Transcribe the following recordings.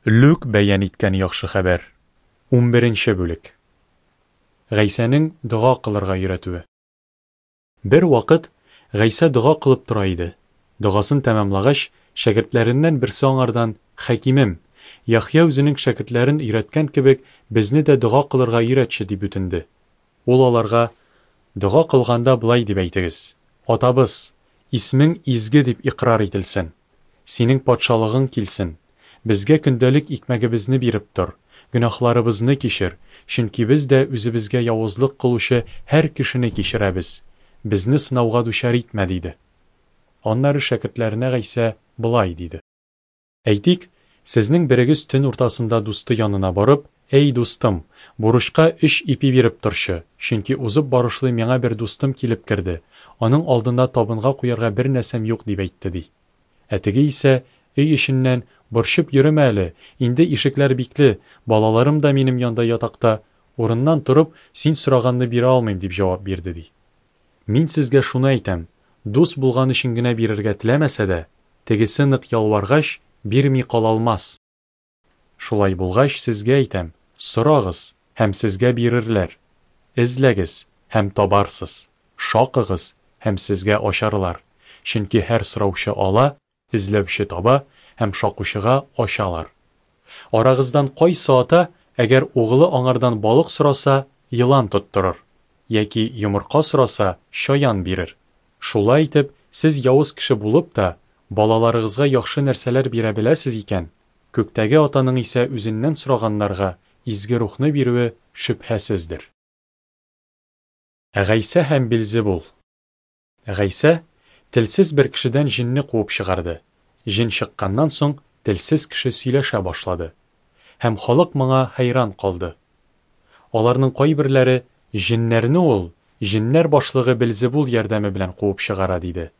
Лүк бәян иткән Яхшы хәбәр. Унберенче бүлек. Гайсәнең дога кылырга өйрәтүе. Бер вакыт Гайсә дога кылып тора иде. Догасын тәмамлагач, шәкертләреннән берсе аңардан, Хәкимем, Яхъя үзенең шәкертләрен өйрәткән кебек, безне дә дога кылырга өйрәтче, дип үтенде. Ул аларга, Дога кылганда болай дип әйтегез, Атабыз, исмең изге дип икърар ителсен. Синең патшалыгың килсен. Безгә көндәлек икмәгебезне биреп тор. Гөнаһларыбызны кичер, чөнки без дә үзебезгә явызлык кылучы һәр кешене кичерәбез. Безне сынауга дучар итмә, диде. Аннары шәкертләренә Гайсә болай диде. Әйтик, сезнең берегез төн уртасында дусты янына барып, Әй, дустым, бурычка өч ипи биреп торчы, чөнки узып барышлый миңа бер дустым килеп керде, аның алдында табынга куярга бер нәрсәм юк, дип әйтте, ди. Ә теге исә, өй эченнән, Борчып йөремә әле, инде ишекләр бикле, балаларым да минем янда ятакта, урыннан торып, син сораганны бирә алмыйм, дип җавап бирде, ди. Мин сезгә шуны әйтәм, дус булган өчен генә бирергә теләмәсә дә, тегесе нык ялваргач, бирми кала алмас. Шулай булгач, сезгә әйтәм, сорагыз, һәм сезгә бирерләр, эзләгез, һәм табарсыз, шакыгыз, һәм сезгә ачарлар, чөнки һәр сораучы ала, эзләүче таба, һәм шакучыга ачалар. Арагыздан кайсы ата, әгәр угылы аңардан балык сораса, елан тоттырыр, яки йомырка сораса, чаян бирер? Шулай итеп, сез явыз кеше булып та, балаларыгызга яхшы нәрсәләр бирә беләсез икән, Күктәге Атаның исә үзеннән сораганнарга Изге Рухны бирүе шөбһәсездер. Гайсә һәм Белзебул. Гайсә телсез бер кешедән җенне куып чыгарды. Җен чыкканнан соң, телсез кеше сөйләшә башлады. Һәм халык моңа хәйран калды. Аларның кайберләре, Җеннәрне ул җеннәр башлыгы Белзебул ярдәме белән куып чыгара, диде.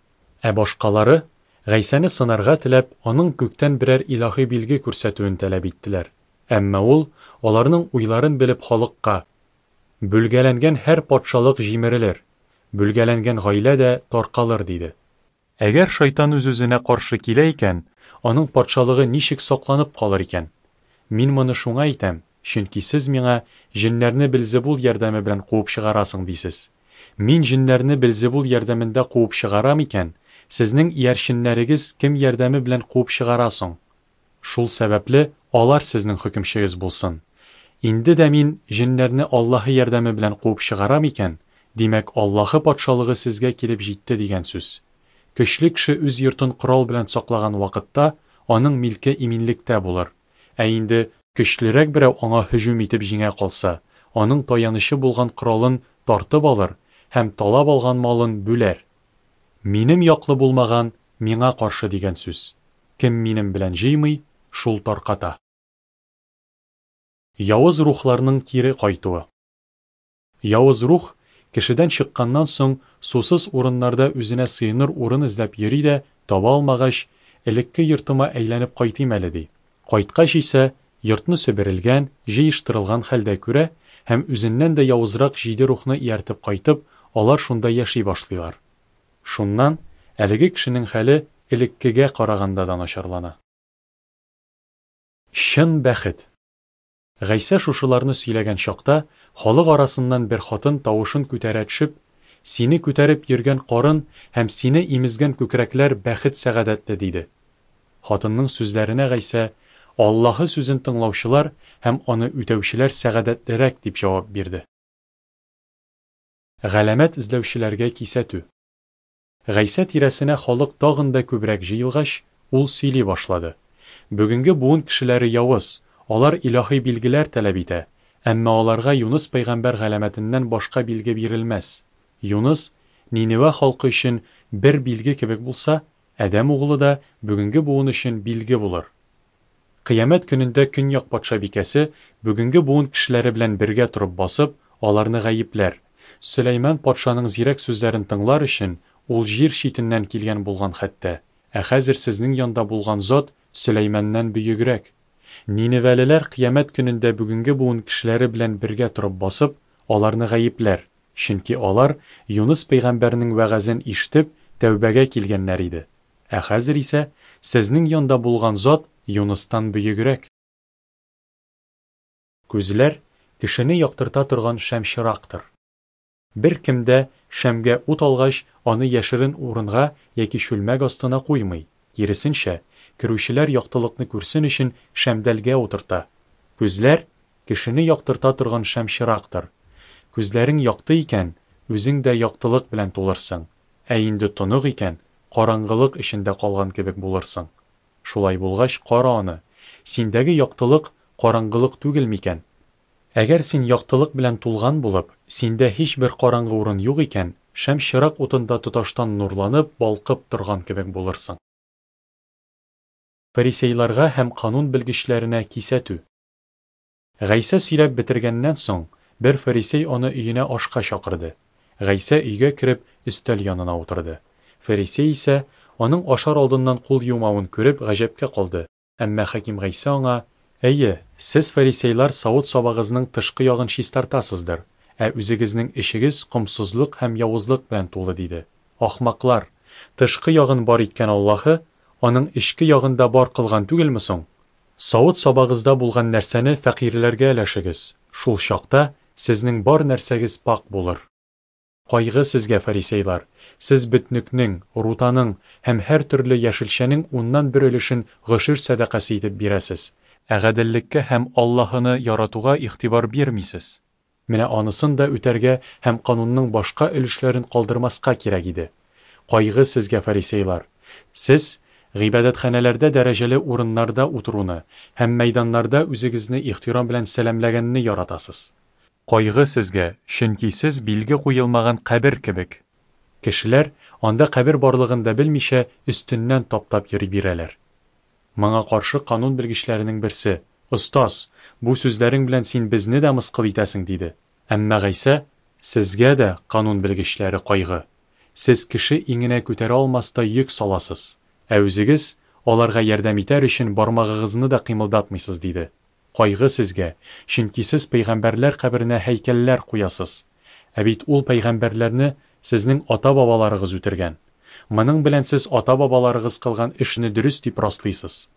Ә башкалары, Гайсәне сынарга теләп, аның күктән берәр илаһи билге күрсәтүен таләп иттеләр. Әмма ул, аларның уйларын белеп, халыкка, Бүлгәләнгән һәр патшалык җимерелер, бүлгәләнгән гаилә дә таркалыр, диде. Әгәр шайтан үз-үзенә каршы килә икән, аның патшалыгы ничек сакланып калыр икән? Мин моны шуңа әйтәм, чөнки сез миңа, Җеннәрне Белзебул ярдәме белән куып чыгарасың, дисез. Мин җеннәрне Белзебул ярдәмендә куып чыгарам икән, сезнең иярченнәрегез кем ярдәме белән куып чыгара соң? Шул сәбәпле алар сезнең хөкемчегез булсын. Инде дә мин җеннәрне Аллаһы ярдәме белән куып чыгарам икән, димәк, Аллаһы Патшалыгы сезгә килеп җитте дигән сүз. Көчле кеше үз йортын корал белән саклаган вакытта, аның милке иминлектә булыр. Ә инде көчлерәк берәү аңа һөҗүм итеп җиңә калса, аның таянычы булган коралын тартып алыр һәм талап алган малын бүләр. Минем яклы булмаган миңа каршы дигән сүз. Кем минем белән җыймый, шул тарката. Явыз рухларның кире кайтуы. Явыз рух, кешедән чыкканнан соң, сусыз урыннарда үзенә сыеныр урын эзләп йөри дә, таба алмагач, элекке йортыма әйләнеп кайтыйм әле, ди. Кайткач исә, йортны себерелгән, җыештырылган хәлдә күрә һәм үзеннән дә явызрак җиде рухны ияртеп кайтып, алар шунда яши башлыйлар. Шуннан әлеге кешенең хәле элеккегә караганда да начарлана. Чын бәхет. Гайсә шушыларны сөйләгән чакта, халык арасыннан бер хатын тавышын күтәрә төшеп, Сине күтәреп йөргән карын һәм сине имезгән күкрәкләр бәхет-сәгадәтле, диде. Хатынның сүзләренә Гайсә, Аллаһы сүзен тыңлаучылар һәм аны үтәүчеләр сәгадәтлерәк, дип җавап бирде. Галәмәт эзләүчеләргә кисәтү. Гайсә тирәсенә халык тагын да күбрәк җыелгач, ул сөйли башлады. Бүгенге буын кешеләре явыз, алар илаһи билгеләр таләп итә, әмма аларга Юныс пәйгамбәр галәмәтеннән башка билге бирелмәс. Юныс Ниневә халкы өчен бер билге кебек булса, Адәм Углы да бүгенге буын өчен билге булыр. Кыямәт көнендә көньяк патшабикәсе бүгенге буын кешеләре белән бергә торып басып, аларны гаепләр. Сөләйман патшаның зирәк сүзләрен тыңлар өчен, ул җир читеннән килгән булган хәтта, ә хәзер сезнең янда булган зат Сөләйманнан бөегрәк. Ниневәлеләр кыямәт көнендә бүгенге буын кешеләре белән бергә торып басып, аларны гаепләр, чөнки алар, Юныс пәйгамбәрнең вәгазен ишетеп, тәүбәгә килгәннәр иде. Ә хәзер исә сезнең янда булган зат Юныстан бөегрәк. Күзләр, кешене яктырта торган шәмчырактыр. Беркем дә, шәмгә ут алгач, аны яшерен урынга яки чүлмәк астына куймый, киресенчә, керүчеләр яктылыкны күрсен өчен шәмдәлгә утырта. Күзләр, кешене яктырта торган шәмчырактыр. Күзләрең якты икән, үзең дә яктылык белән тулырсың, ә инде тонык икән, караңгылык эчендә калган кебек булырсың. Шулай булгач, кара аны, синдәге яктылык караңгылык түгел микән? Әгәр син яктылык белән тулган булып, синдә һичбер караңгы урын юк икән, шәм чырак утында тоташтан нурланып, балкып торган кебек булырсың. Фарисейларга һәм канун белгечләренә кисәтү. Гайсә сөйләп бетергәннән соң, бер фарисей аны өенә ашка чакырды. Гайсә өйгә кереп, өстәл янына утырды. Фарисей исә, аның ашар алдыннан кул юмавын күреп, гаҗәпкә калды. Әмма хаким Гайсә аңа, Әйе, сез, фарисейлар, савыт-сабагызның тышкы ягын чистартасыздыр, ә үзегезнең эчегез комсызлык һәм явызлык белән тулы, диде. Ахмаклар! Тышкы ягын бар иткән Аллаһы аның эчке ягын да бар кылган түгелме соң? Савыт-сабагызда булган нәрсәне фәкыйрьләргә өләшегез, шул чакта сезнең бар нәрсәгез пакь булыр. Кайгы сезгә, фарисейлар! Сез бөтнекнең, рутаның һәм һәртөрле яшелчәнең уннан бер өлешен гошер сәдакасы итеп бирәсез, ә гаделлеккә һәм Аллаһыны яратуга игътибар бирмисез. Менә анысын да үтәргә һәм канунның башка өлешләрен калдырмаска кирәк иде. Кайгы сезгә, фарисейлар! Сез гыйбадәтханәләрдә дәрәҗәле урыннарда утыруны һәм мәйданнарда үзегезне ихтирам белән сәламләгәнне яратасыз. Кайгы сезгә, чөнки сез билге куелмаган кабер кебек. Кешеләр, анда кабер барлыгын да белмичә, өстеннән таптап йөри бирәләр. Моңа каршы канун белгечләренең берсе, Остаз, бу сүзләрең белән син безне дә мыскыл итәсең, диде. Әмма Гайсә, Сезгә дә, канун белгечләре, кайгы! Сез кеше иңенә күтәрә алмастай йөк саласыз, ә үзегез, аларга ярдәм итәр өчен, бармагыгызны да кыймылдатмыйсыз, диде. Кайгы сезгә, чөнки сез пәйгамбәрләр каберенә һәйкәлләр куясыз. Ә бит ул пәйгамбәрләрне сезнең ата-бабаларыгыз үтергән. Моның белән сез ата-бабаларыгыз кылган эшне дөрес дип раслыйсыз.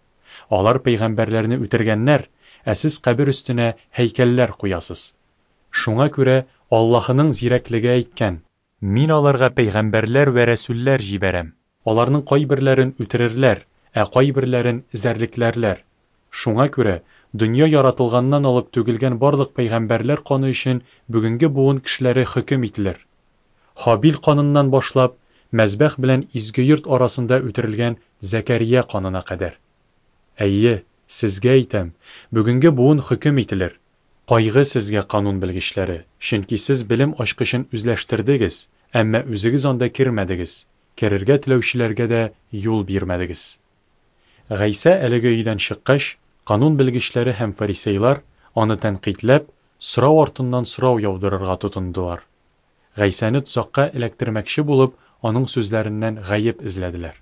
Алар пәйгамбәрләрне үтергәннәр, ә сез кабер өстенә һәйкәлләр куясыз. Шуңа күрә Аллаһының зирәклеге әйткән, Мин аларга пәйгамбәрләр вә рәсүлләр җибәрәм. Аларның кайберләрен үтерерләр, ә кайберләрен эзәрлекләрләр. Шуңа күрә, дөнья яратылганнан алып түгелгән барлык пәйгамбәрләр каны өчен бүгенге буын кешеләре хөкем ителер. Һабил каныннан башлап, мәзбәх белән изге йорт арасында үтерелгән Зәкәрия канына кадәр. Әйе, сезгә әйтәм, бүгенге буын хөкем ителер. Кайгы сезгә, канун белгечләре, чөнки сез белем ачкычын үзләштердегез, әмма үзегез анда кермәдегез, керергә теләүчеләргә дә юл бирмәдегез. Гайсә әлеге өйдән чыккач, канун белгечләре һәм фарисейлар, аны тәнкыйтьләп, сорау артыннан сорау яудырырга тотындылар. Гайсәне тозакка эләктермәкче булып, аның сүзләреннән гаеп эзләделәр.